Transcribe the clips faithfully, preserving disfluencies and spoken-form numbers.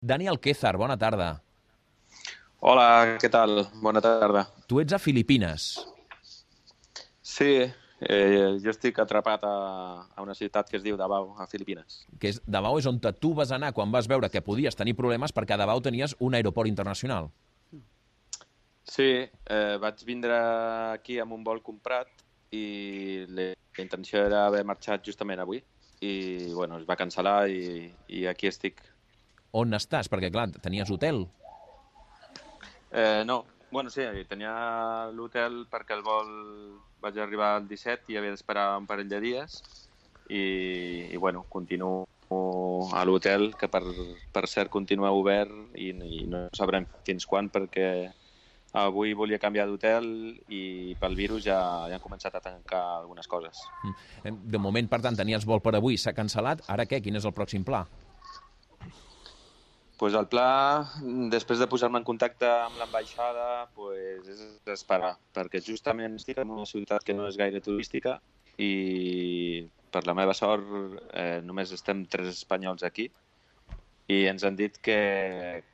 Dani Alquézar, bona tarda. Hola, què tal? Bona tarda. Tu ets a Filipines, Sí, eh, jo estic atrapat a, a una ciutat que es diu Davao, a Filipines. que és Davao és on tu vas anar quan vas veure que podies tenir problemes perquè a Davao tenies un aeroport internacional. Sí, eh, vaig vindre aquí amb un vol comprat i la intenció era haver marxat justament avui i bueno, es va cancel·lar i, i aquí estic. On estàs? Perquè, clar, tenies hotel. Eh, no, bueno, sí, tenia l'hotel perquè el vol vaig arribar el disset i havia d'esperar un parell de dies i, i bueno, continuo a l'hotel, que per, per cert continua obert i, i no sabrem fins quan perquè avui volia canviar d'hotel i pel virus ja, ja han començat a tancar algunes coses. Mm. De moment, per tant, tenies vol per avui, s'ha cancel·lat. Ara què? Quin és el pròxim pla? Pues el pla, després de posar-me en contacte amb l'ambaixada, pues, és esperar, perquè justament estic en una ciutat que no és gaire turística i per la meva sort eh, només estem tres espanyols aquí i ens han dit que,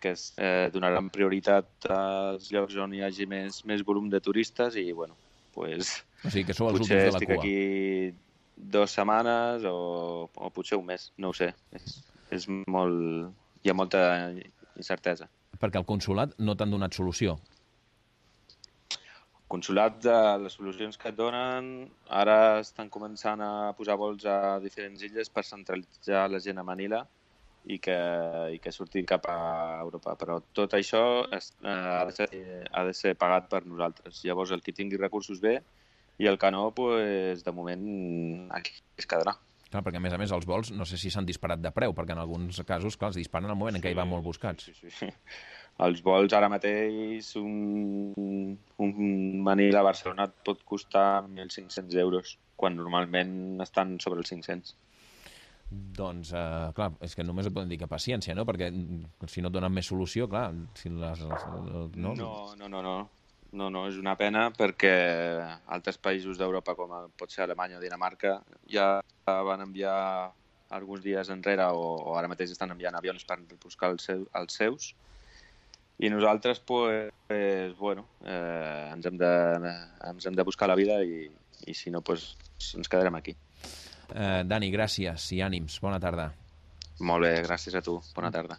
que es eh, donaran prioritat als llocs on hi hagi més, més volum de turistes i bueno, pues, O sigui, que sou els potser últims de la estic cua. aquí dues setmanes o, o potser un mes, no ho sé. És, és molt... Hi ha molta incertesa. Perquè al consulat no t'han donat solució. Consulat, de les solucions que et donen, ara estan començant a posar vols a diferents illes per centralitzar la gent a Manila i que, i que surti cap a Europa. Però tot això es, eh, ha, de ser, ha de ser pagat per nosaltres. Llavors, el que tingui recursos bé i el que no, pues, de moment, aquí es quedarà. Clar, perquè a més a més els vols no sé si s'han disparat de preu, perquè en alguns casos, clar, els disparen al moment en què hi van molt buscats. Sí, sí, sí. Els vols ara mateix, un, un Manila a Barcelona et pot costar mil cinc-cents euros, quan normalment estan sobre els cinc-cents. Doncs, eh, clar, és que només et poden dir que paciència, no? Perquè mm, si no et donen més solució, clar, si les, les, no? No, no, no, no. No, no, és una pena perquè altres països d'Europa, com pot ser Alemanya o Dinamarca, ja van enviar alguns dies enrere o, o ara mateix estan enviant avions per buscar els, seu, els seus. I nosaltres, pues, pues bueno, eh, ens, hem de, ens hem de buscar la vida i, i si no, pues, ens quedarem aquí. Eh, Dani, gràcies i ànims. Bona tarda. Molt bé, gràcies a tu. Bona tarda.